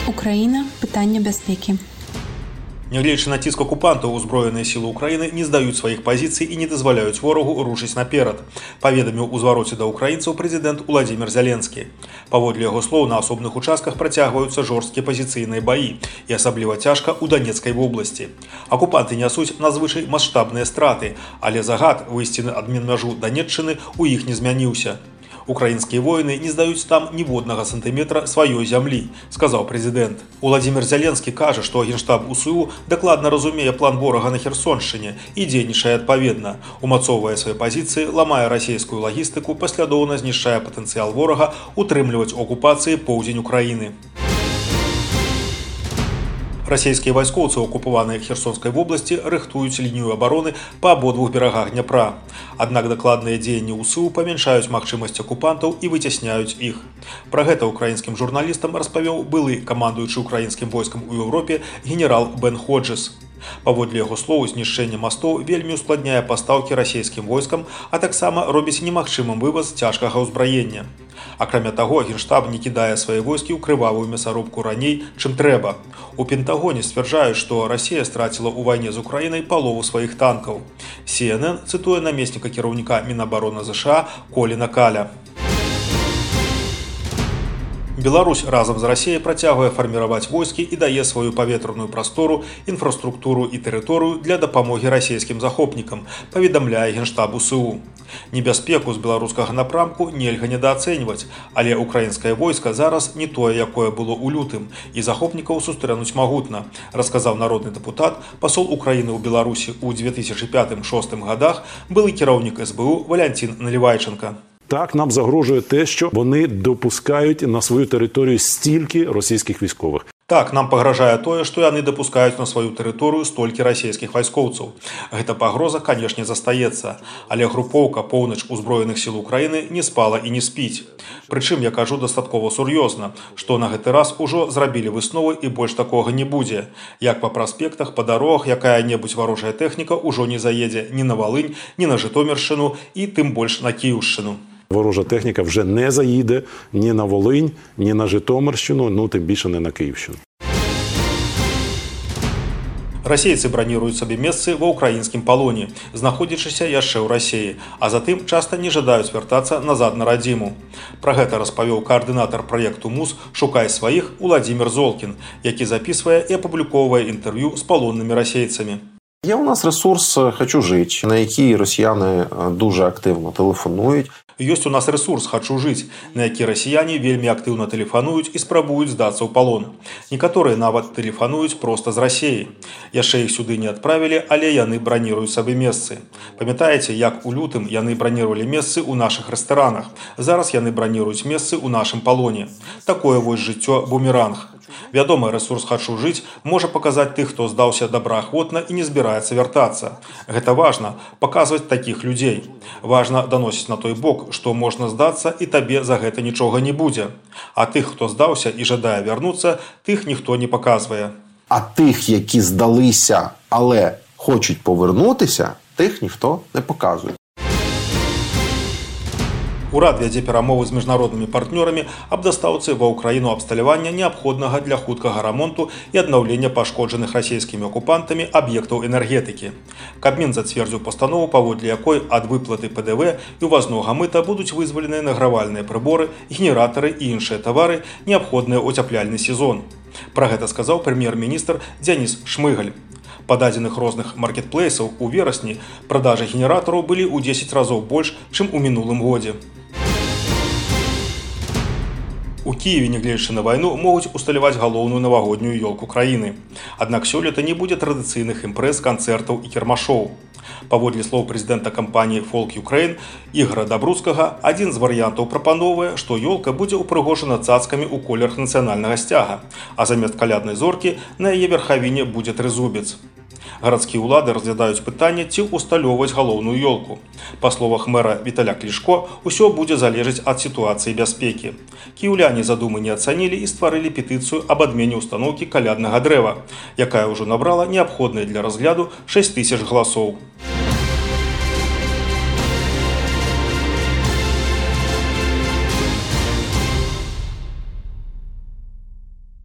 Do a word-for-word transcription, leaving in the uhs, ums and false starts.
Украіна. Пытанне бяспекі. Нягледзячы на ціск акупантаў, узброеныя сілы ўкраіны не здаюць сваіх пазіцый і не дазваляюць ворагу рушыць наперад, паведаміў у звароце да ўкраінцаў прэзідэнт Уладзімір Зяленскі. Паводле яго слоў, на асобных участках працягваюцца жорсткія пазіцыйныя баі, і асабліва цяжка ў Данецкай вобласці. Акупанты нясуць надзвычай маштабныя страты, але загад выйсці на адменмяжу Данеччыны ў іх не змяніўся. Украінскія воіны не здаюць там ніводнага сантыметра сваёй зямлі, сказаў прэзідэнт. Уладзімір Зяленскі кажа, што генштаб УСУ дакладна разумее план ворага на Херсоншчыне і дзейнічае адпаведна, умацоўвае свае пазіцыі, ламае расійскую лагістыку, паслядоўна знішчае патэнцыял ворага утрымліваць у акупацыі поўдзень Украіны. Расійскія вайскоўцы акупаваныя Херсонскай вобласці рыхтуюць лінію абароны па абодвух берагах Дняпра. Аднак дакладныя дзеянні УСУ памяншаюць магчымасць акупантаў і выцясняюць іх. Пра гэта украінскім журналістам распавёў былы камандуючы украінскім войскам у Еўропе генерал Бен Ходжес. Паводле яго слоў, знішчэнне мастоў вельмі ускладняе пастаўкі расійскім войскам, а таксама робіць немагчымым вываз цяжкага ўзбраення. Акрамя таго, генштаб не кідае свае войскі ў крывавую мясарубку раней, чым трэба. У Пентагоне сцвярджаюць, што Расія страціла ў вайне з Украінай палову сваіх танкаў. Си Эн Эн цытуе намесніка кіраўніка Мінабароны ЗША Коліна Каля. Беларусь разам з Расіяй працягвае фарміраваць войскі і дае сваю паветраную прастору, інфраструктуру і тэрыторыю для дапамогі расійскім захопнікам, паведамляе генштаб УСУ. Небяспеку з беларускага напрамку нельга недаацэньваць, але украінскае войска зараз не тое, якое было ў лютым, і захопнікаў сустрэнуць магутна, расказаў народны дэпутат, пасол Украіны ў Беларусі ў две тысячы пятым-шостым гадах, былы кіраўнік эс бэ у Валянцін Налівайченка. Так, нам загрожує те, що вони допускають на свою територію стільки російських військових. Так, нам пагражае тое, што яны дапускаюць на сваю тэрыторыю столькі расійскіх вайскоўцаў. Гэта пагроза, канешне, застаецца, але групоўка «Поўнач узброеных сіл Украіны» не спала і не спіць. Прычым, я кажу дастаткова сур'ёзна, што на гэты раз ужо зрабілі высновы і больш такога не будзе. Як па праспектах, па дарогах, якая-небудзь варожая тэхніка ўжо не заедзе ні на Валынь, ні на Жытоміршчыну і тым больш на Кіўшчыну. Ворожа техніка вже не заїде ні на Волинь, ні на Житомирщину, ну тим більше не на Київщину. Расейцы браніруюць сабе месцы ва ўкраінскім палоне, знаходзячыся яшчэ ў Расіі, а затым часта не жадаюць вяртацца назад на радзіму. Пра гэта распавёў каардынатар праекту МУЗ «Шукай сваіх» Уладзімір Золкін, які запісвае і апублікоўвае інтэрв'ю з палоннымі расейцамі. Є у нас ресурс «Хочу жить», на який росіяни дуже активно телефонують. Ёсць у нас ресурс «Хочу жыць», на які расіяне вельмі актыўна тэлефануюць і спрабуюць здацца ў палон. Некаторыя нават тэлефануюць проста з Расіі. Яшчэ іх сюды не адправілі, але яны браніруюць сабе месцы. Памятаеце, як у лютым яны бранірувалі месцы ў нашых рэстаранах. Зараз яны браніруюць месцы ў нашым палоне. Такое вось жыццё бумеранг. Вядома, ресурс «Хочу жыць» можа паказаць тых, хто здаўся добраахвотна і не збіраецца вяртацца. Гэта важна, паказваць такіх людзей. Важна даносіць на той бок, што можна здацца і табе за гэта нічога не будзе. А тых, хто здаўся і жадае вярнуцца, тых ніхто не паказвае. А тих, які здалися, але хочуть повернутися, тих ніхто не показує. Урад вядзе перамовы з міжнароднымі партнёрамі аб дастаўцы ва ўкраіну абсталявання неабходнага для хуткага рамонту і аднаўлення пашкоджаных расійскімі акупантамі аб'ектаў энергетыкі. Кабмін зацвердзіў пастанову, паводле якой ад выплаты пэ дэ вэ і ўвазнога мыта будуць вызваленыя награвальныя прыборы, генератары і іншыя тавары, неабходныя ў цяпляльны сезон. Пра гэта сказаў прэм'ер-міністр Дзяніс Шмыгаль. Па дадзеных розных маркетплейсаў у верасні продажы генератараў былі ў дзесяць разоў больш, чым у мінулым годзе. У Кіеве, нягледзячы на вайну, могуць усталяваць галоўную навагоднюю ёлку краіны. Аднак сёлета не будзе традыцыйных імпрэз, канцэртаў і кірмашоў. Паводле слоў прэзідэнта кампаніі «Фолк Юкрэйн» Ігара Дабруцкага, адзін з варыянтаў прапановвае, што ёлка будзе ўпрыгожана цацкамі ў колерах нацыянальнага сцяга, а замест каляднай зоркі на яе верхавіне будзе трызубец. Гарадскія ўлады разглядаюць пытанне, ці ўсталёўваць галоўную ёлку. Па словах мэра Віталя Клішко, усё будзе залежаць ад сітуацыі бяспекі. Кіеўляне задумы не ацанілі і стварылі петыцыю аб адмене ўстаноўкі каляднага дрэва, якая ўжо набрала неабходныя для разгляду шэсць тысяч галасоў.